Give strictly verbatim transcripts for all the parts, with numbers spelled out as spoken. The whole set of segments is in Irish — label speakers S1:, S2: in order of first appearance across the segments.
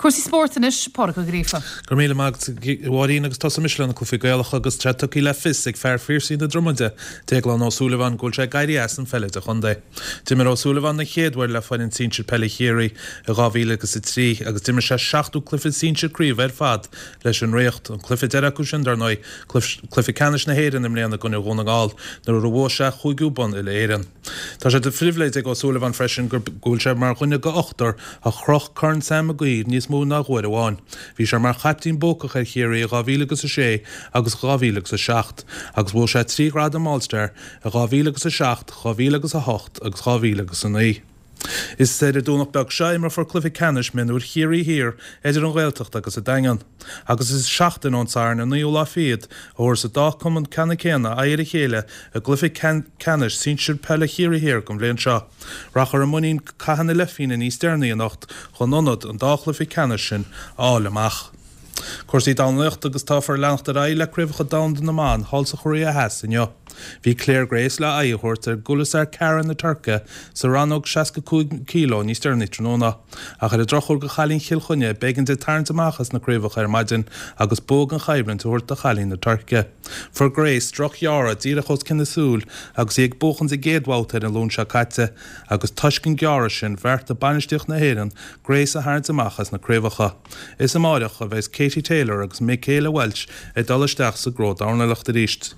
S1: Cúrsaí spóirt anois Pádraig Ó Gríofa.
S2: Gur míle maith Mháirín agus tosóidh mise le na cluichí Gaelacha agus tá tugtha le fios ag fear Phiarsaigh na Dromoda Déaglán Ó Súilleabháin go bhfuil sé ag éirí as an pheil idirchontae. D'imir Ó Súilleabháin den chéad uair le foireann sinsir peile Chiarraí i dhá mhíle agus a trí agus d'imir sé seachtó cluiche sinsir craoibhe ar fad leis an Ríocht. An cluiche deiridh acu sin dar ndóigh cluiche ceannais na hÉireann i mbliana i gcoinne Dhún na nGall nuair a bhuaigh sé a chúigiú bonn uile-Éireann. Tá sé de phribhléid ag Ó Súilleabháin freisin go bhfuil sé mar dhuine de ochtar a chroch Corn Sam Maguire níos mó ná uair amháin. Bhí sé mar chaiptín buacach ar Chiarraí i dhá mhíle agus a sé agus dhá mhíle agus a seacht, agus bhuaigh sé trí ghradam All-Star i dhá mhíle agus a seacht, dhá mhíle agus a hocht agus dhá mhíle agus a naoi. Is ar an Domhnach beag seo a imreofar cluiche ceannais mionúir Chiarraí Thiar idir an Ghaeltacht agus an Daingean. Agus is seachtain ón Satharn an naoú lá fichead a thabharfas an dá chumann ceannann céanna aghaidh ar a chéile i gcluiche ceannais sinsir peile Chiarraí Thiar don bhliain seo. Rachaidh i muinín catha na leathphingine níos deireanaí anocht chun ionad an dá chluiche ceannais sin a fháil amach. Cúrsaí dornálaíochta agus táfar ag leanacht ar aghaidh le Craobhacha Domhanda na mBan thall sa Chóiré Theas inniu. Bhí Clare Grace le aghaidh a thabhairt ar Gulizar Kara na Tuirce sa rannóg seasca cúig kilo níos deireanaí tráthnóna. Ach ar an drochuair do chailín Chill Chainnigh, b'éigean di tarraingt amach as na craobhacha ar maidin agus bua gan choimhlint a thabhairt do chailín na Tuirce. Fuair Grace drochghearradh díreach os cionn a súil agus í ag buachaint a gcéad bhabhta ar an Luan seo caite agus toisc an gearradh sin bheartaigh bainistíocht na hÉireann Grace a tharraingt amach as na craobhacha. Is amáireach a bheas Katie Taylor agus Michaela Walsh ag dul isteach sa gcró dornálaíochta arís.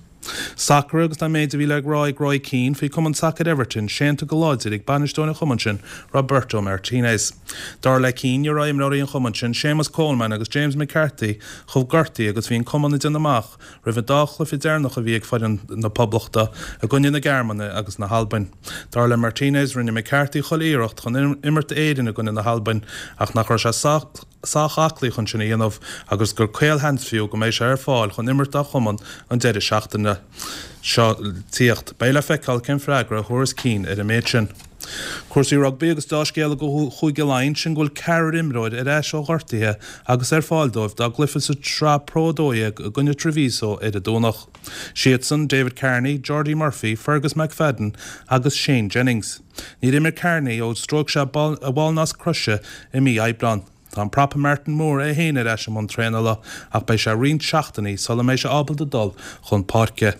S2: Sacar agus tá an méid a bhí le rá ag Roy Keane faoi chumann sacair Everton séanta go láidir ag bainisteoir an chumainn sin, Roberto Martinez. Dar le Keane, ní raibh imreoirí an chumainn sin, Séamus Coleman agus James McCarthy, chomh gortaithe agus bhí an cumann ag déanamh amach roimh an dá chluiche deireanach a bhí ag foireann na Poblachta i gcoinne na Gearmáine agus na hAlbain. Dar le Martinez, rinne McCarthy chuile iarracht chun imirt d'Éirinn i gcoinne na hAlbain ach nach raibh sé sách sách aclaí chun sin a dhéanamh agus gur caolsheans fiú go mbeidh sé ar fáil chun imirt dá chumann an deireadh seachtaine seo le tíocht. Beidh le feiceáil cén freagra a thabharfas Keane ar an méid sin. Cúrsaí rugbaí agus dea-scéala do Chúige Laighean sin go bhfuil ceathrar imreoir ar ais ó ghortuithe agus ar fáil dóibh dá gcluiche sa tsraith Pro a dó dhéag i gcoinne Treviso ar an Domhnach. Siadsan, David Carney, Geordie Murphy, Fergus McFadden agus Shane Jennings. Níor imir Carney ó stróic sé a bhallnasc croise i mí Aibreáin. Tá an prapa Martin Moore é féin ar ais i mbun traenála ach beidh sé roinnt seachtainí sula mbeidh sé ábalta dul chun páirce.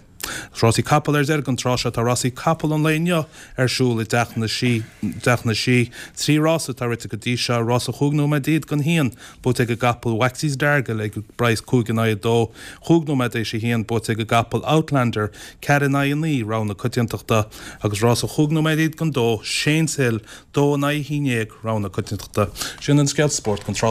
S2: Rásaí capall ar deireadh an tráth seo. Tá rásaí capall an lae inniu ar siúl i dTeach na Sí, dTeach na Sí. Trí rása atá rite go dtí seo, rása chúig nóiméad déag don haon, buaite ag an gcapall Waxy's Dargle ag praghas cúig in aghaidh a dó, chúig nóiméad théis a haon, buaite ag an gcapall Outlander, ceathair in aghaidh a naoi, rogha na coitiantachta, agus rása chúig nóiméad déag don dó, Shane's Hill, dó in aghaidh a haon déag, rogha na coitiantachta. Sin an scéal spóirt don tráth.